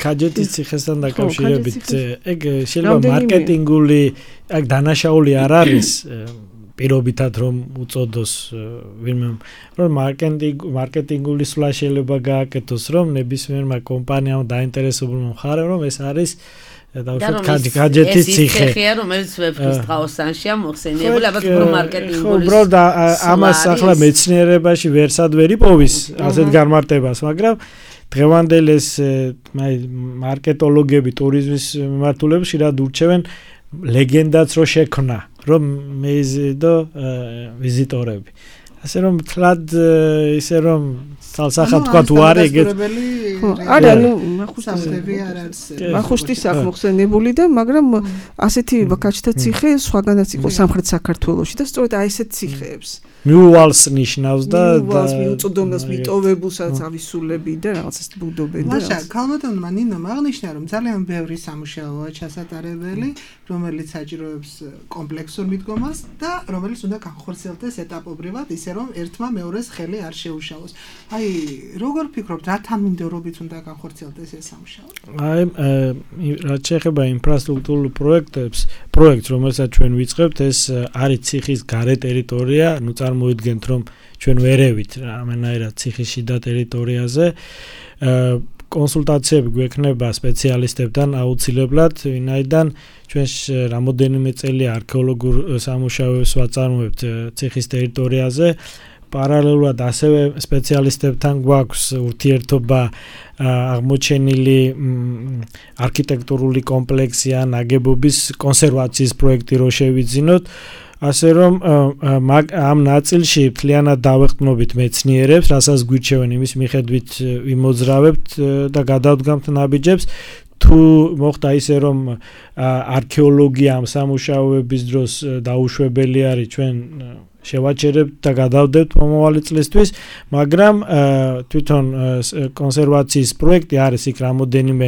[SPEAKER 4] ქაჯეთის ციხესთან დაკავშირებით ეგ შეიძლება მარკეტინგული აქ დანაშაული არ არის პირობითად რომ უწოდოს ვინმე რომ მარკეტინგული სვლა შეიძლება გააკეთოს რომ ნებისმიერმა კომპანიამ დაინტერესებულმა მხარემ რომ ეს არის დავუშვათ ქაჯეთის ციხე.
[SPEAKER 2] ეს ციხეა რომელიც ვეფხის ტყაოსანშია მოხსენიებული, ალბათ უფრო მარკეტინგული.
[SPEAKER 4] ხო, უბრალოდ ამას ახლა მეცნიერებაში ვერსად ვერ იპოვის ასეთ განმარტებას, მაგრამ დღევანდელი ეს მარკეტოლოგები, ტურიზმის მიმართულები ხშირად ურჩევენ ლეგენდაც რო შექმნა, რომ მეიზიდო ვიზიტორები. ასე რომ თლად ისე რომ თალსახად თქვა თუ არის ეგეთ
[SPEAKER 5] არა ნუ მახუშტის აქ მოხსენებული და მაგრამ ასეთი ქაჯთა ციხე სხვაგანაც იყო სამხრეთ საქართველოში და სწორედ აი ესეთ ციხეებს
[SPEAKER 4] მიუვალს ნიშნავს და
[SPEAKER 5] მიუწვდომელს მიტოვებულსაც ავისულები და რაღაცას ბუდობენ და
[SPEAKER 3] მაშა ქალბატონმა ნინომ აღნიშნა რომ ძალიან ბევრი სამუშაოა ჩასატარებელი რომელიც საჭიროებს კომპლექსურ მიდგომას და რომელიც უნდა განხორციელდეს ეტაპობრივად ისე რომ ერთმა მეორეს ხელი არ შეუშალოს. აი როგორ ფიქრობთ რა თანმიმდევრობით უნდა განხორციელდეს ეს სამუშაო?
[SPEAKER 4] აი რაც შეეხება ინფრასტრუქტურულ პროექტს რომელსაც ჩვენ ვიწყებთ ეს არის ციხის გარე ტერიტორია, ნუ წარმოიდგენთ რომ ჩვენ ვერევით რამენაირად ციხის შიდა ტერიტორიაზე კონსულტაციები გვექნება სპეციალისტებთან აუცილებლად, ვინაიდან ჩვენ რამოდენიმე წელი არქეოლოგიურ სამუშაოებს ვაწარმოებთ ციხის ტერიტორიაზე. პარალელურად ასევე სპეციალისტებთან გვაქვს ურთიერთობა აღმოჩენილი არქიტექტურული კომპლექსი ან ნაგებობის კონსერვაციის პროექტი რო შევიძინოთ. ასე რომ ამ ნაწილში მთლიანად დავეხმობით მეცნიერებს, რასაც გვირჩევენ იმის მიხედვით ვიმოძრავებთ და გადავდგამთ ნაბიჯებს. თუ მოხდა ისე რომ არქეოლოგია ამ სამუშაოების დროს დაუშვებელი არის ჩვენ შევაჩერებთ და გადავდებთ მომავალი წლისთვის, მაგრამ თვითონ კონსერვაციის პროექტი არის იქ რამოდენიმე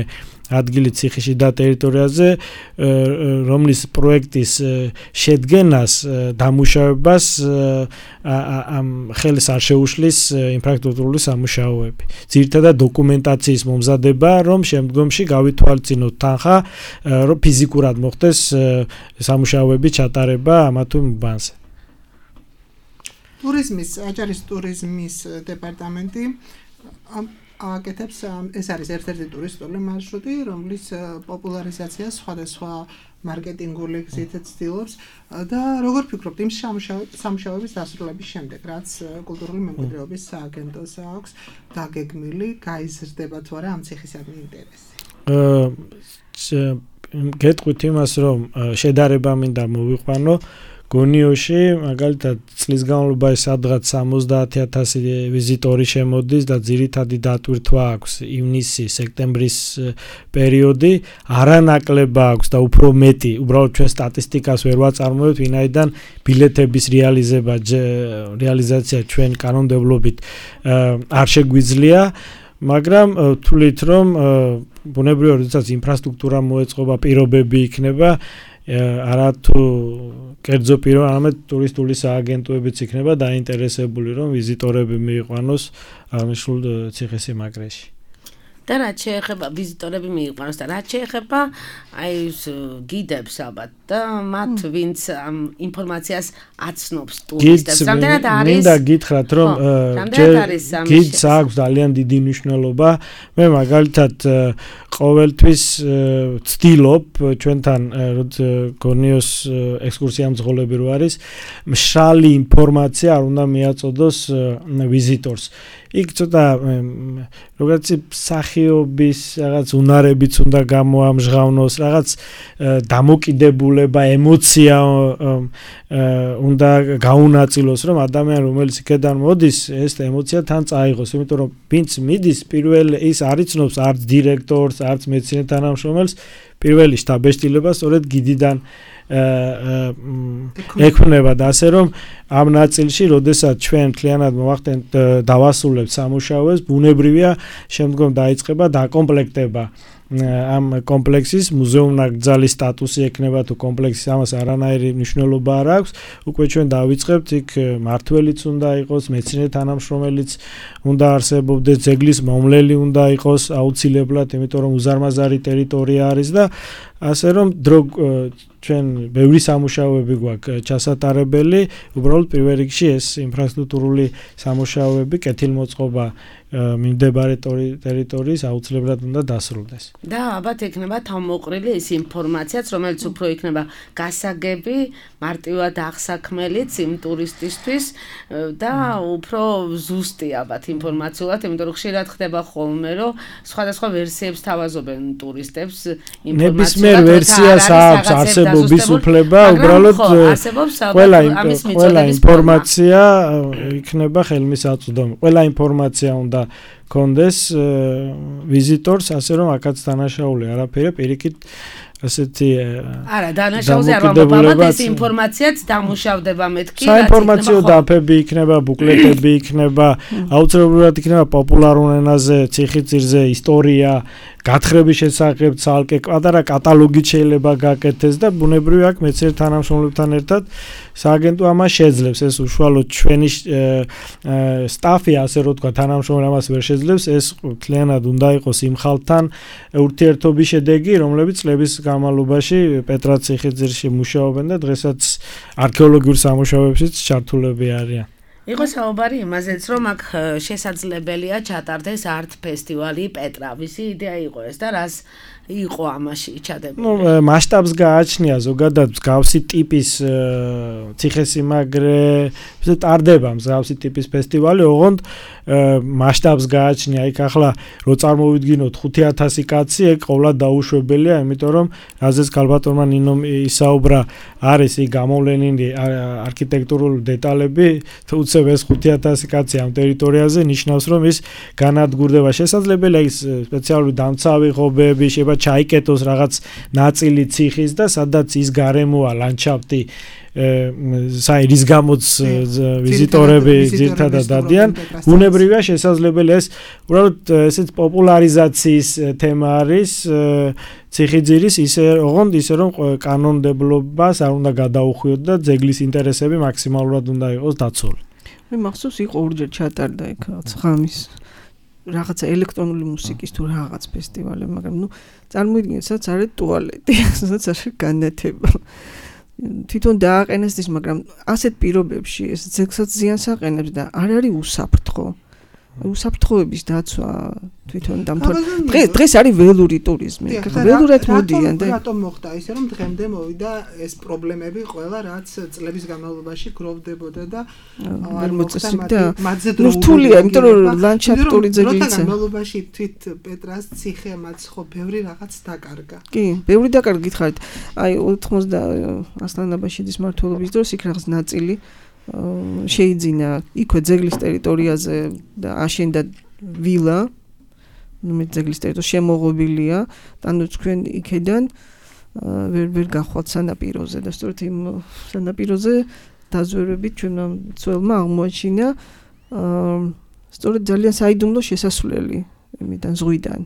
[SPEAKER 4] ადგილი ციხის შიდა ტერიტორიაზე, რომლის პროექტის შედგენას დამუშავებას ხელს არ შეუშლის ინფრასტრუქტურული სამუშაოები. ძირითადად დოკუმენტაციის მომზადება, რომ შემდგომში გავითვალისწინოთ თანხა, რომ ფიზიკურად მოხდეს სამუშაოების ჩატარება ამა თუ იმ უბანზე.
[SPEAKER 3] აჭარის ტურიზმის დეპარტამენტი აკეთებს ეს არის ერთ-ერთი ტურისტული მარშრუტი, რომლის პოპულარიზაციას სხვადასხვა მარკეტინგული გზით ცდილობს და როგორ ფიქრობთ იმ სამუშაოების დასრულების შემდეგ, რაც კულტურული მემკვიდრეობის სააგენტოს აქვს დაგეგმილი, გაიზრდება თუ არა ამ ციხისადმი ინტერესი?
[SPEAKER 4] გეტყვით იმას, რომ შედარება მინდა მოვიყვანო გონიოში მაგალითად წლის განმავლობაში სადღაც 70,000 ვიზიტორი შემოდის და ძირითადი დატვირთვა აქვს ივნისი, სექტემბრის პერიოდი, არანაკლება აქვს და უფრო მეტი, უბრალოდ ჩვენ სტატისტიკას ვერ ვაწარმოებთ, ვინაიდან ბილეთების რეალიზაცია ჩვენ კანონმდებლობით არ შეგვიძლია, მაგრამ თვლით რომ ბუნებრივად როდესაც ინფრასტრუქტურა მოეწყობა, პირობები იქნება არათუ კერძო პირო, არამედ ტურისტული სააგენტოებიც იქნება დაინტერესებული, რომ ვიზიტორები მიიყვანოს აღნიშნულ ციხესიმაგრეში.
[SPEAKER 2] და რაც შეეხება ვიზიტორები მიიყვანოს და რაც შეეხება აი ეს გიდებს ალბათ და მათ ვინც ამ ინფორმაციას აცნობს ტურისტებს. რამდენად არის?
[SPEAKER 4] მინდა გითხრათ რომ გიდს აქვს ძალიან დიდი მნიშვნელობა. მე მაგალითად ყოველთვის ვცდილობ ჩვენთან გორნიოს ექსკურსია მძღოლები რო არის მშრალი ინფორმაცია არ უნდა მიაწოდოს ვიზიტორს. იქ ცოტა როგორც სახიობის რაღაც უნარებიც უნდა გამოამჟღავნოს, რაღაც დამოკიდებულება, ემოცია უნდა გაუნაწილოს, რომ ადამიანი რომელიც იქიდან მოდის, ეს ემოცია თან წაიღოს, იმიტომ რომ ვინც მიდის, პირველ ის არ იცნობს არც დირექტორს, არც მეცნიერ თანამშრომელს, პირველი შტაბეშტილება სწორედ გიდიდან ექნება და ასე რომ ამ ნაწილში, როდესაც ჩვენ მთლიანად მოვახდენთ დავასრულებთ სამუშაოებს, ბუნებრივია შემდგომ დაიწყება დაკომპლექტება ამ კომპლექსის მუზეუმ-ნაკრძალის სტატუსი ექნება თუ კომპლექსის ამას არანაირი მნიშვნელობა არ აქვს. უკვე ჩვენ დავიწყებთ იქ მართველიც უნდა იყოს, მეცნიერ თანამშრომელიც უნდა არსებობდეს, ძეგლის მომვლელი უნდა იყოს აუცილებლად, იმიტომ რომ უზარმაზარი ტერიტორია არის და ასე რომ ჩვენ ბევრი სამუშაოები გვაქვს ჩასატარებელი, უბრალოდ პირველ რიგში ეს ინფრასტრუქტურული სამუშაოები, კეთილმოწყობა მიმდებარე ტერიტორიის აუცილებლად უნდა დასრულდეს.
[SPEAKER 2] და ალბათ ექნება თავმოყრილი ის ინფორმაციაც, რომელიც უფრო იქნება გასაგები, მარტივად აღსაქმელიც იმ ტურისტისთვის და უფრო ზუსტი ალბათ ინფორმაციულად, იმიტომ რომ ხშირად ხდება ხოლმე, რომ სხვადასხვა ვერსიებს თავაზობენ ტურისტებს
[SPEAKER 4] ნებისმიერ ვერსიას აქვს არსებობის უფლება, უბრალოდ ყველა ინფორმაცია იქნება ხელმისაწვდომი. ყველა ინფორმაცია უნდა კონდეს ვიზიტორს, ასე რომ აქაც დანაშაული არაფერი, პირიქით ასეთი
[SPEAKER 2] არა, დანაშაულზე არ ვამბობ, ეს ინფორმაციაც დამუშავდება მეთქი.
[SPEAKER 4] საინფორმაციო დაფები იქნება, ბუკლეტები იქნება, აუცილებლად იქნება პოპულარულ ენაზე, ციხისძირზე, ისტორია, გათხრების შესახებ ცალკე პატარა კატალოგი შეიძლება გაკეთდეს და ბუნებრივია აქ მეცნიერ თანამშრომლებთან ერთად სააგენტო ამას შეძლებს. ეს უშუალოდ ჩვენი სტაფი, ასე რომ თქვა, თანამშრომელი ამას ვერ შეძლებს, ეს მთლიანად უნდა იყოს იმ ხალხთან ურთიერთობის შედეგი, რომლებიც წლების განმავლობაში პეტრად ციხისძირში მუშაობენ და დღესაც არქეოლოგიურ სამუშაოებშიც ჩართულები არიან.
[SPEAKER 2] იყო საუბარი იმაზეც, რომ აქ შესაძლებელია ჩატარდეს არტ ფესტივალი პეტრა. ვისი იდეა იყო ეს და რას იყო ამაში ჩადებული?
[SPEAKER 4] მასშტაბს გააჩნია ზოგადად მსგავსი ტიპის ციხესიმაგრე, ტარდება მსგავსი ტიპის ფესტივალი, ოღონდ მასშტაბს გააჩნია. იქ ახლა რო წარმოვიდგინოთ 5000 კაცი, ეგ ყოვლად დაუშვებელია, იმიტომ რომ რაზეც ქალბატონმა ნინომ ისაუბრა, არის იქ გამოვლენილი არქიტექტურული დეტალები, თუმცა ეს 5000 კაცი ამ ტერიტორიაზე ნიშნავს, რომ ის განადგურდება. შესაძლებელია ის სპეციალური დამცავი ღობეები, შეიძლება ჩაიკეტოს რაღაც ნაწილი ციხის და სადაც ის გარემოა ლანდშაფტი რის გამოც ვიზიტორები ძირთადად დადიან, ბუნებრივია შესაძლებელია ეს უბრალოდ ესეც პოპულარიზაციის თემა არის ციხისძირის, ოღონდ ისე რომ კანონმდებლობას არ უნდა გადაუხვიოთ და ძეგლის ინტერესები მაქსიმალურად უნდა იყოს დაცული.
[SPEAKER 5] მე მახსოვს იყო ორჯერ ჩატარდა იქ ღამის რაღაცა ელექტრონული მუსიკის თუ რაღაც ფესტივალი, მაგრამ წარმოიდგინეთ, სადაც არის ტუალეტი, სადაც არის განათება. თვითონ დააყენეს ის, მაგრამ ასეთ პირობებში ეს ძეგლსაც ზიანს აყენებს და არ არის უსაფრთხო. უსაფრთხოების დაცვა თვითონ დამთავრდა. დღეს არის ველური ტურიზმი. ველურად მოდიან და
[SPEAKER 3] რატომ მოხდა ისე, რომ დღემდე მოვიდა ეს პრობლემები ყველა, რაც წლების განმავლობაში გროვდებოდა და
[SPEAKER 5] არ მოწესრიგდა. რთულია, იმიტომ რომ ლანდშაფტური ძეგლიც.
[SPEAKER 3] განმავლობაში თვით პეტრას ციხე მათ ხო ბევრი რაღაც დაკარგა.
[SPEAKER 5] კი, ბევრი დაკარგა გითხარით. აი 80 ასლანაბაშიძის მმართველობის დროს იქ რაღაც ნაწილი შეიძინა იქვე ძეგლის ტერიტორიაზე და აშენდა ვილა, მე ძეგლის ტერიტორია შემოღობილია, ანუ თქვენ იქედან ვერ გახვალთ სანაპიროზე და სწორედ იმ სანაპიროზე დაზვერვებით ჩვენმა მცველმა აღმოაჩინა სწორედ ძალიან საიდუმლო შესასვლელი იმიდან ზღვიდან.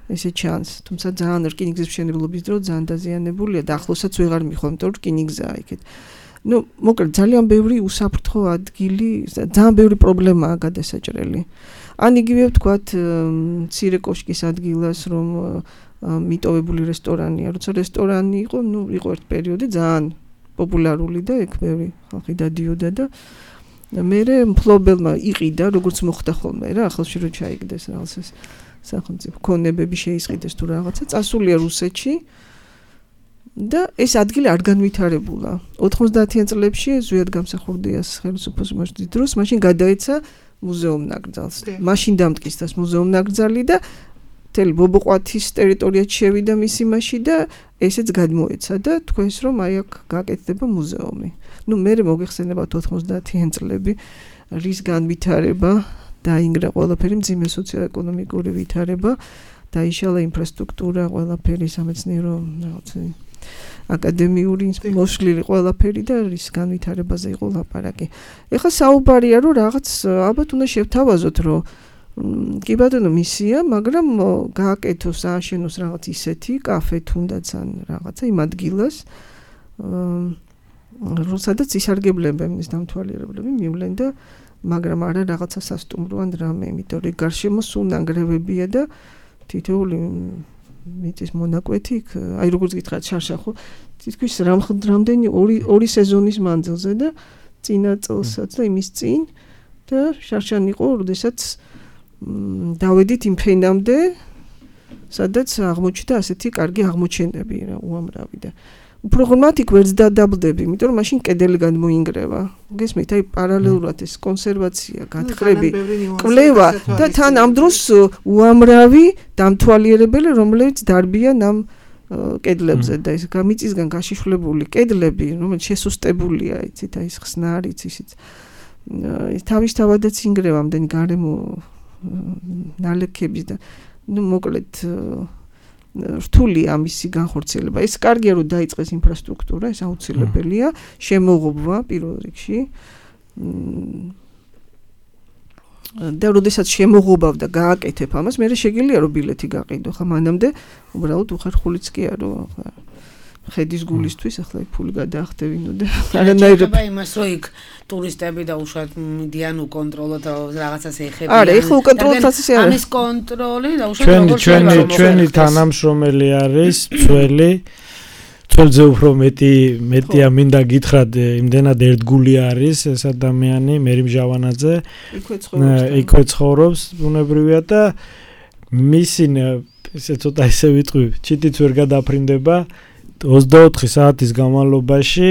[SPEAKER 5] ესე ჩანს, თუმცა ძალიან რკინიგზის მშენებლობის დრო ძალიან დაზიანებულია და ახლოსაც ვეღარ მიხვდა, იმიტომ რომ რკინიგზაა იქეთ. მოკლედ ძალიან ბევრი უსაფრთხო ადგილი, ძალიან ბევრი პრობლემაა გადასაჭრელი. ან იგივე ვთქვათ მცირე კოშკის ადგილას რომ მიტოვებული რესტორანია, როცა რესტორანი იყო, იყო ერთ პერიოდი ძალიან პოპულარული და ეგ ბევრი ხალხი დადიოდა და მერე მფლობელმა იყიდა, როგორც მოხდა ხოლმე რა, ახალში რო ჩაიგდეს რაღაც ეს სახელმწიფო ქონებები შეისყიდეს თუ რაღაცა, წასულია რუსეთში და ეს ადგილი არ განვითარებულა. 90-იან წლებში ზვიად გამსახურდიას ხელისუფლების მოშლის დროს მაშინ გადაეცა მუზეუმ ნაკრძალს. მაშინ დამტკიცდა მუზეუმ ნაკრძალი და მთელი ბობოყვათის ტერიტორიად შევიდა მის იმაში და ესეც გადმოეცა და თქვენს რომ აი აქ გაკეთდება მუზეუმი. მერე მოგეხსენებათ 90-იან წლები რის განვითარება დაინგრა ყველაფერი მძიმე სოციო-ეკონომიკური ვითარება, დაიშალა ინფრასტრუქტურა, ყველაფერი სამეცნიერო რაღაცა აკადემიური მოსვლილი ყველაფერი და რის განვითარებაზე იყო ლაპარაკი. ეხლა საუბარია რომ რაღაც ალბათ უნდა შევთავაზოთ რომ კი ბატონო მისია, მაგრამ გააკეთოს ააშენოს რაღაც ისეთი კაფე თუნდაც ან რაღაცა იმ ადგილას სადაც ისარგებლებენ ის დამთვალიერებლები მივლენ და მაგრამ არა რაღაცა სასტუმრო ან რამე, იმიტომ რომ გარშემო სულ ნანგრევებია და თითოეული მიწის მონაკვეთი, აი როგორც გითხრათ შარშახო, თითქოს რამდენი ორი სეზონის მანძილზე და წინა წელსაც და იმის წინ და შარშან იყო, როდესაც დავედით იმ ფენამდე, სადაც აღმოჩნდა ასეთი კარგი აღმოჩენები რა უამრავი და უფრო ღრმად იქ ვერც დადაბლდები, იმიტომ რომ მაშინ კედელი გადმოინგრევა. გესმით, აი პარალელურად ეს კონსერვაცია, გათხრები, კვლევა და თან ამ დროს უამრავი დამთვალიერებელი, რომლებიც დარბიან ამ კედლებზე და ეს მიწისგან გაშიშვლებული კედლები, რომელიც შესუსტებულია, იცით, აი ეს ხსნარიც ისიც. თავისთავადაც ინგრევა ამდენი გარემო ნალექების და მოკლედ რთული ამისი განხორციელება. ეს კარგია რომ დაიწყეს ინფრასტრუქტურა, ეს აუცილებელია, შემოღობა პირველ რიგში. და როდესაც შემოღობავ და გააკეთებ ამას, მე შეგიძლია რომ ბილეთი გაყიდო, ხა მანამდე უბრალოდ უხერხულიც კი არო, ხა ხედის გულისთვის ახლა ფული გადაახტევინო და
[SPEAKER 2] არანაირად იმას რომ იქ ტურისტები და უშუალოდ მიდიან უკონტროლოთ რაღაცას ეხებიან.
[SPEAKER 5] არა, ეხლა უკონტროლოთაც ისე არა.
[SPEAKER 2] ამის კონტროლი და უშუალოდ
[SPEAKER 4] ჩვენი თანამშრომელი არის ძველზე უფრო მეტია მინდა გითხრათ, იმდენად ერთგული არის ეს ადამიანი, მერი მჟავანაძე. იქვე ცხოვრობს, ბუნებრივია და მისი ესე ცოტა ისე ვიტყვი, ჩიტიც ვერ გადაფრინდება. 24 საათის განმავლობაში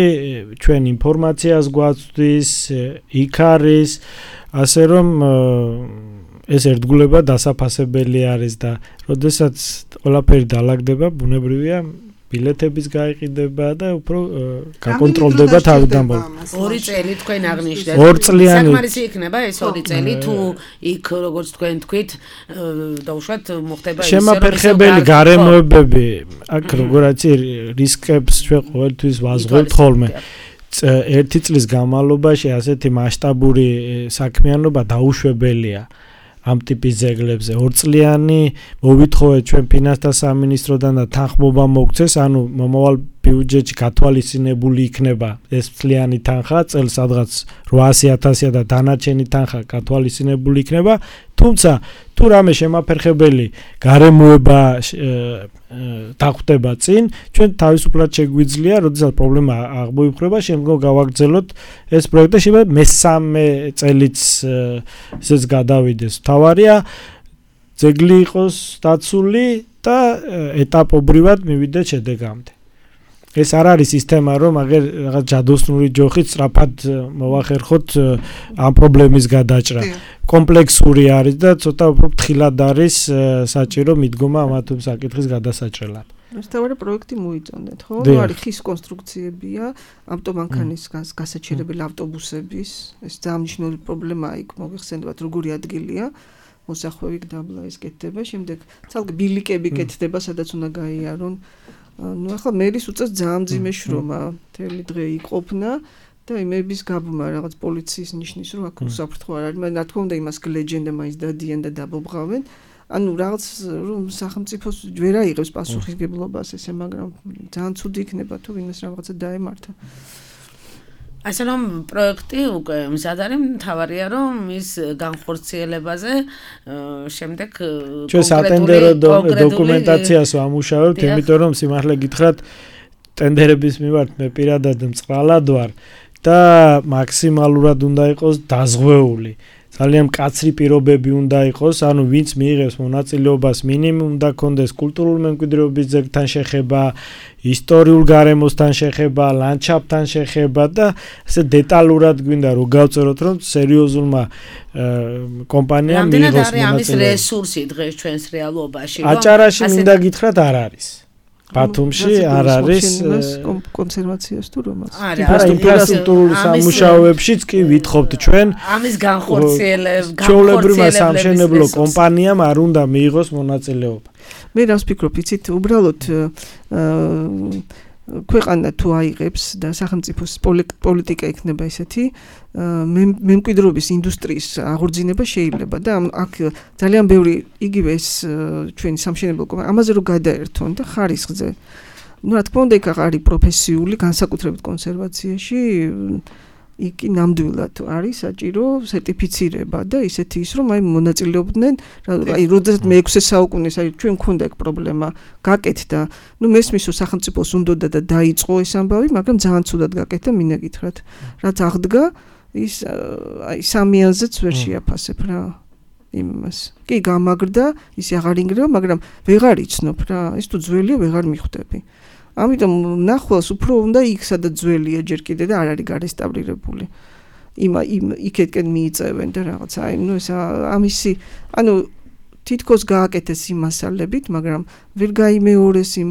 [SPEAKER 4] ჩვენ ინფორმაციას გვაწვდის, იქ არის, ასე რომ ეს ერთგულება დასაფასებელი არის და როდესაც ყველაფერი დაალაგდება, ბუნებრივია ბილეთების გაიყიდება და უფრო გაკონტროლდება თავდამბოლ.
[SPEAKER 2] 2 წელი თქვენ აღნიშნეთ.
[SPEAKER 4] 2 წლიანი.
[SPEAKER 2] საკმარისი იქნება ეს 2 წელი თუ იქ როგორც თქვენ თქვით და უშუალოდ მოხდება ის
[SPEAKER 4] შემაფერხებელი გარემოებები, აქ როგორაც რისკებს ჩვენ ყოველთვის ვაზღვევთ ხოლმე. 1 წლის განმავლობაში ასეთი მასშტაბური საქმიანობა დაუშვებელია. ამ ტიპის ძეგლებზე 2 წლიანი მოვითხოვეთ ჩვენ ფინანსთა სამინისტროდან და თანხმობა მოგცეს, ანუ მომავალ ბიუჯეტში გათვალისწინებული იქნება ეს წლიანი თანხა, წელს სადღაც 800.000-ია და დანარჩენი თანხა გათვალისწინებული იქნება, თუმცა თუ რამე შემაფერხებელი გარემოება დახვდება წინ, ჩვენ თავისუფლად შეგვიძლია, როდესაც პრობლემა აღმოიფრება, შემდგომ გავაგრძელოთ ეს პროექტი, შეიძლება მესამე წელიც ესეც გადავიდეს. თავარია ძეგლი იყოს დაცული და ეტაპობრივად მივიდეთ შედეგამდე. ეს არ არის სისტემა, რომ აგერ რაღაც ჯადოსნური ჯოხით სწრაფად მოვახერხოთ ამ პრობლემის გადაჭრა. კომპლექსური არის და ცოტა უფრო ფრთხილად არის საჭირო მიდგომა ამ საკითხის გადასაჭრელად.
[SPEAKER 5] თავარი პროექტი მოიწონეთ, ხო? არის ხის კონსტრუქციებია, ავტომანქანის გასაჩერებელი ავტობუსების, ეს ძალიან მნიშვნელოვანი პრობლემაა იქ მოგეხსენებათ, როგორი ადგილია. მოსახვევი დაბლა ეს კეთდება, შემდეგ ცალკე ბილიკები კეთდება, სადაც უნდა გაიარონ. ახლა მერის უწევს ძალიან მძიმე შრომა, მთელი დღე იყოფნა და იმების გაბმა რაღაც პოლიციის ნიშნის რომ აქ უსაფრთხო არ არის, მაგრამ რა თქმა უნდა იმას გლეჯენ და მაინც დადიან და დაბობღავენ. ანუ რაღაც რომ სახელმწიფოს ვერ აიღებს პასუხისგებლობას ესე, მაგრამ ძალიან ცუდი იქნება თუ ვინმეს რაღაცა დაემართა.
[SPEAKER 2] ასე რომ პროექტი უკვე მზად არის, მთავარია რომ ის განხორციელებაზე შემდეგ
[SPEAKER 4] ჩვენ სატენდერო დოკუმენტაციას ვამუშავებთ, იმიტომ რომ სიმართლე გითხრათ, ტენდერების მიმართ მე პირადად მწყრალად ვარ და მაქსიმალურად უნდა იყოს დაზღვეული. ძალიან მკაცრი პირობები უნდა იყოს, ანუ ვინც მიიღებს მონაწილეობას, მინიმუმ უნდა კონდეს კულტურულ მემკვიდრეობის ძეგლთან შეხება, ისტორიულ გარემოსთან შეხება, ლანდშაფტთან შეხება და ასე დეტალურად გვინდა რომ გავწეროთ, რომ სერიოზულმა კომპანიამ მიიღოს მონაწილეობა.
[SPEAKER 2] ამის რესურსი დღეს ჩვენს რეალობაში,
[SPEAKER 4] რომ აჭარაში მინდა გითხრათ არ არის. ბათუმში არ არის
[SPEAKER 5] კონსერვაციას თუ რომაც.
[SPEAKER 4] ინფრასტრუქტურული სამუშაოებშიც კი ვითხოვთ ჩვენ.
[SPEAKER 2] ამის განხორციელება
[SPEAKER 4] ჩვეულებრივმა სამშენებლო კომპანიამ არ უნდა მიიღოს მონაწილეობა.
[SPEAKER 5] მე რას ვფიქრობ, იცით, უბრალოდ ქვეყანა თუ აიღებს და სახელმწიფოს პოლიტიკა იქნება ესეთი, მემკვიდრეობის ინდუსტრიის აღორძინება შეიძლება და აქ ძალიან ბევრი იგივე ეს ჩვენი სამშენებლო კომპანია ამაზე რომ გადაერთონ და ხარისხზე. Ну, რა თქმა უნდა, იქ არის პროფესიული, განსაკუთრებით კონსერვაციაში, იქ ნამდვილად არის საჭირო სერტიფიცირება და ისეთი ის რომ აი მონაწილეობდნენ, აი როდესაც მე-6 საუკუნეს აი ჩვენ მქონდა ეგ პრობლემა, გაკეთდა. Ну, მესმის რომ სახელმწიფოს უნდოდა და დაიწყო ეს ამბავი, მაგრამ ძალიან ცუდად გაკეთდა, მინდა გითხრათ. რაც აღდგა, ის აი სამიანზეც ვერ შეაფასებ რა იმას. კი, გამაგრდა, ის აღარ ინგრევა, მაგრამ ვეღარ იცნობ რა, ის თუ ძველია ვეღარ მიხვდები. ამიტომ ნახვალს უფრო უნდა იქ სადაც ძველია ჯერ კიდე და არ არის გარესტავრირებული. იქეთკენ მიიწევენ და რაღაც აი ნუ ეს ამისი ანუ თითქოს გააკეთეს იმ მასალებით, მაგრამ ვერ გაიმეორეს იმ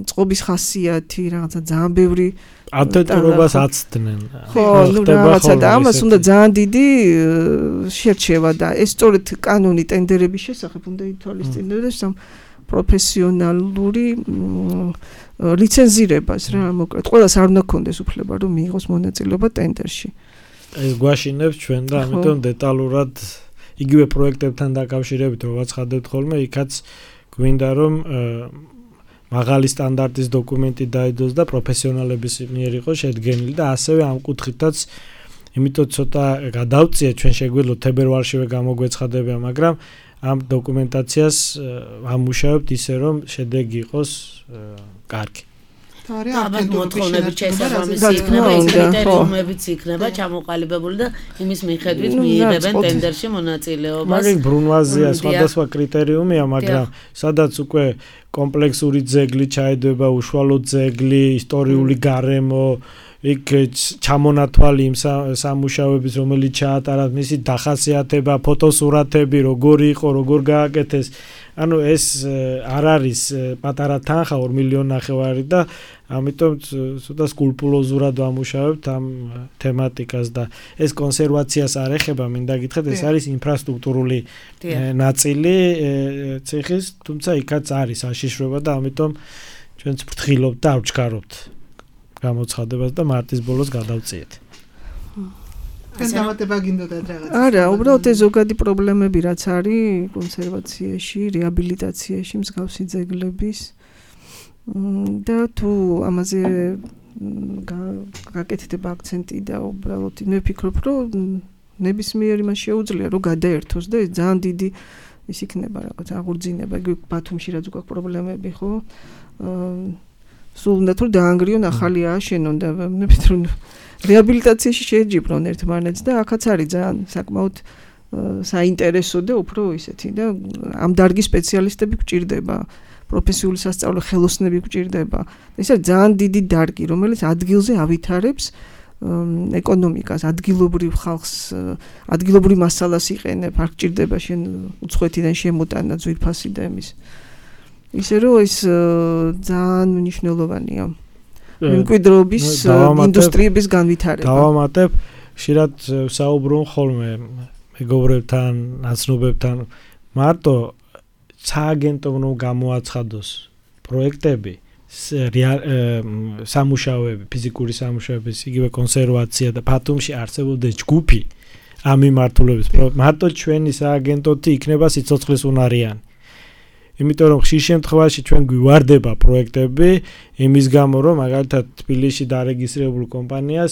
[SPEAKER 5] წყობის ხასიათი, რაღაცა ძალიან ბევრი
[SPEAKER 4] ატეტურობას აცდნენ.
[SPEAKER 5] ხო, ნუ რაღაცა და ამას უნდა ძალიან დიდი შერჩევა და ეს სწორედ კანონი ტენდერების შესახებ უნდა ითვალისწინებდეს პროფესიონალური ლიცენზირებას რა მოკლედ. ყველას არ უნდა ქონდეს უფლება რომ მიიღოს მონაწილეობა ტენდერში.
[SPEAKER 4] ეს გვაშინებს ჩვენ და ამიტომ დეტალურად იგივე პროექტებთან დაკავშირებით რომ ვაცხადებთ ხოლმე, იქაც გვინდა რომ მაღალი სტანდარტის დოკუმენტი დაიდოს და პროფესიონალების მიერ იყოს შედგენილი და ასევე ამ კუთხითაც იმიტომ ცოტა გადავწიეთ ჩვენ შეგვიძლია თებერვალშივე გამოგვეცხადება, მაგრამ ამ დოკუმენტაციას ამუშავებთ ისე რომ შედეგი იყოს კარგი.
[SPEAKER 2] მოთხოვნებით შესაბამისი იქნება, კრიტერიუმებიც იქნება ჩამოყალიბებული და იმის მიხედვით მიიღებენ ტენდერში მონაწილეობას.
[SPEAKER 4] მაგრამ ბრუნვაზია სხვადასხვა კრიტერიუმია, მაგრამ სადაც უკვე კომპლექსური ძეგლი ჩაედვება, უშუალო ძეგლი, ისტორიული გარემო, იქ ჩამონათვალი იმ სამუშაოების, რომელიც ჩაატარათ, მისი დახასიათება, ფოტოსურათები, როგორი იყო, როგორ გააკეთეს. ანუ ეს არ არის პატარა თანხა 2 მილიონი ნახევარი და ამიტომ ცოტა სკრუპულოზურად ვამუშავებთ ამ თემატიკას და ეს კონსერვაციას არ ეხება, მინდა გითხრათ, ეს არის ინფრასტრუქტურული ნაწილი ციხის, თუმცა იქაც არის აშიშრება და ამიტომ ჩვენც ვფრთხილობთ და ავჩქარობთ გამოცხადებას და მარტის ბოლოს გადავწიეთ.
[SPEAKER 3] განმარტება გინდოდათ რაღაც?
[SPEAKER 5] არა, უბრალოდ ეს ზოგადი პრობლემები რაც არის კონსერვაციაში, რეაბილიტაციაში, მსგავსი ძეგლების და თუ ამაზე გაკეთდება აქცენტი და უბრალოდ მე ვფიქრობ, რომ ნებისმიერი მას შეუძლია რომ გადაერთოს და ეს ძალიან დიდი ის იქნება რაღაც აღორძინება, ბათუმში რაც უკვე პრობლემები ხო? სულ უნდა თუ დაანგრიონ ახალი ააშენონ და მე ვფიქრობ რეაბილიტაციაში შეეჯიბრონ ერთმანეთს და აქაც არის ძალიან საკმაოდ საინტერესო და უფრო ისეთი და ამ დარგის სპეციალისტები გვჭირდება, პროფესიული სასწავლო ხელოსნები გვჭირდება. ეს არის ძალიან დიდი დარგი, რომელიც ადგილზე ავითარებს ეკონომიკას, ადგილობრივ ხალხს, ადგილობრივ მასალას იყენებ, არ გჭირდება შენ უცხოეთიდან შემოტანა ძვირფასი და იმის. ისე რომ ეს ძალიან მნიშვნელოვანია. მემკვიდრეობის ინდუსტრიების განვითარება.
[SPEAKER 4] დავამატებ, ხშირად საუბრობ ხოლმე მეგობრებთან, ნაცნობებთან, მარტო სააგენტო უნდა გამოაცხადოს პროექტები, სამუშაოები, ფიზიკური სამუშაოების, იგივე კონსერვაცია და ბათუმში არსებობდეს ჯგუფი ამ მიმართულების. მარტო ჩვენი სააგენტოთი იქნება სიცოცხლის უნარიანი. იმიტომ რომ ხშირ შემთხვევაში ჩვენ გვივარდება პროექტები იმის გამო რომ მაგალითად თბილისში დარეგისტრირებულ კომპანიას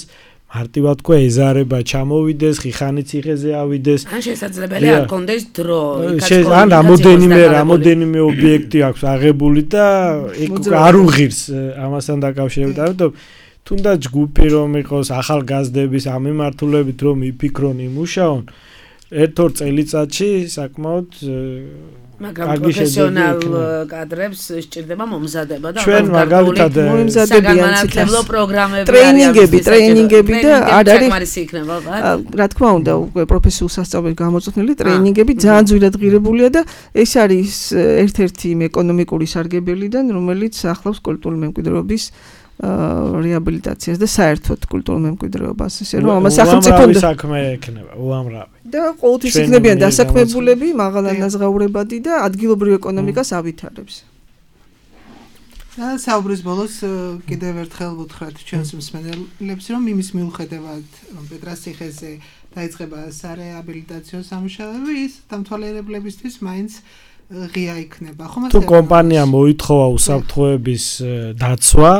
[SPEAKER 4] მარტივად თქვა ეზარება ჩამოვიდეს, ხიხანის ციხეზე ავიდეს.
[SPEAKER 2] ან შესაძლებელია არ კონდეს დრო.
[SPEAKER 4] ან რამოდენიმე ობიექტი აქვს აღებული და არ უღირს ამასთან დაკავშირებით. ამიტომ თუნდაც ჯგუფი რომ იყოს ახალგაზრდების ამ მიმართულებით რომ იფიქრონ, იმუშაონ, ერთ-ორ წელიწადში საკმაოდ
[SPEAKER 2] მაგრამ პროფესიონალ კადრებს სჭირდება მომზადება და
[SPEAKER 4] ჩვენ მაგალითად
[SPEAKER 5] მომზადებიან
[SPEAKER 2] ციფრო პროგრამები,
[SPEAKER 5] ტრეინინგები და არ
[SPEAKER 2] არის იქნება,
[SPEAKER 5] რა თქმა უნდა, უკვე პროფესიულ სასწავლებლად გამოწვეული ტრეინინგები ძალიან ძვირად ღირებულია და ეს არის ერთ-ერთი ეკონომიკური სარგებელიდან, რომელიც ახლავს კულტურული მემკვიდრეობის რეაბილიტაციას და საერთოდ კულტურულ მემკვიდრეობას, ესე რომ ამას სახელმწიფო
[SPEAKER 4] საქმე ექნება, უამრავი.
[SPEAKER 5] და ყოველთვის იქნებიან დასაქმებულები, მაღალანაზღაურებადი და ადგილობრივ ეკონომიკას ავითარებს.
[SPEAKER 3] და საუბრის ბოლოს კიდევ ერთხელ ვუთხრათ ჩვენს მსმენელებს, რომ იმის მიუხედავად, რომ პეტრას ციხეზე დაიწყება სარეაბილიტაციო სამუშაოები, ის დამთვალიერებლებისთვის მაინც ღია იქნება.
[SPEAKER 4] თუ კომპანია მოითხოვა უსაფრთხოების დაცვა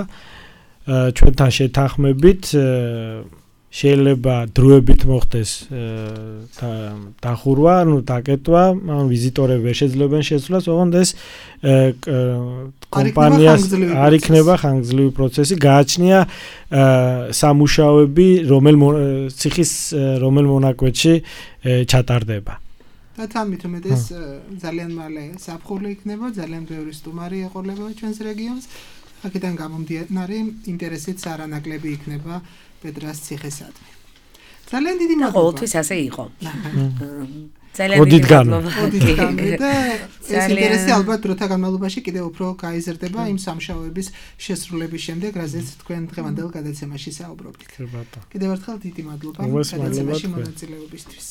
[SPEAKER 4] ჩვენთან შეთანხმებით შეიძლება დროებით მოხდეს დახურვა, დაკეტვა, ვიზიტორები ვერ შეძლებენ შესვლას, ოღონდ ეს კომპანიას არ იქნება ხანგრძლივი პროცესი, გააჩნია სამუშაოები, ციხის რომელ მონაკვეთში ჩატარდება.
[SPEAKER 3] და თამით რომ ეს ძალიან მალე საფხული იქნება, ძალიან ბევრი სტუმარი ეყოლება ჩვენს რეგიონს. აქედან გამომდინარე ინტერესიც არანაკლები იქნება პეტრას ციხესადმი. ძალიან დიდი მადლობა.
[SPEAKER 2] ყოველთვის ასე იყო. ძალიან დიდი მადლობა.
[SPEAKER 3] და ეს ინტერესი ალბათ დროთა განმავლობაში კიდევ უფრო გაიზრდება იმ სამუშაოების შესრულების შემდეგ, რაზეც თქვენ დღევანდელ გადაცემაში საუბრობთ. კიდევ ერთხელ დიდი მადლობა გადაცემაში მონაწილეობისთვის.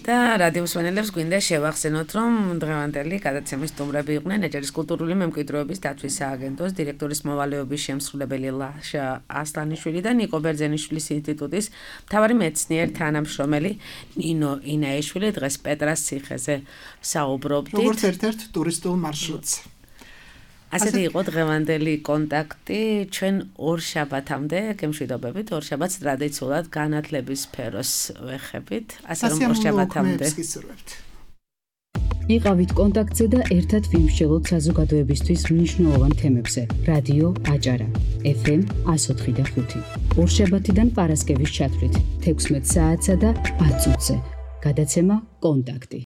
[SPEAKER 2] და რადიო მსმენელებს გვინდა შევახსენოთ, რომ დღევანდელი გადაცემის სტუმრები იყვნენ ეჭერის კულტურული მემკვიდრეობის დაცვის სააგენტოს დირექტორის მოვალეობის შემსრულებელი ლაშა ასლანიშვილი და ნიკო ბერძენიშვილის ინსტიტუტის მთავარი მეცნიერი თანამშრომელი ნინო ინაიშვილი. დღეს პეტრას ციხეზე საუბრობდით.
[SPEAKER 3] როგორც ერთ-ერთ ტურისტულ მარშრუტს.
[SPEAKER 2] ასეთი იყო დღევანდელი კონტაქტი. ჩვენ ორ შაბათამდე გემშვიდობებით, ორ შაბათს ტრადიციულად განათლების სფეროს ვეხებით. ასე რომ ორ შაბათამდე.
[SPEAKER 1] იყავით კონტაქტზე და ერთად ვიმსჯელოთ საზოგადოებისთვის მნიშვნელოვან თემებზე. რადიო აჭარა FM 104.5. ორ შაბათიდან პარასკევის ჩათვლით 16 საათსა და 10 წუთზე. გადაცემა კონტაქტი.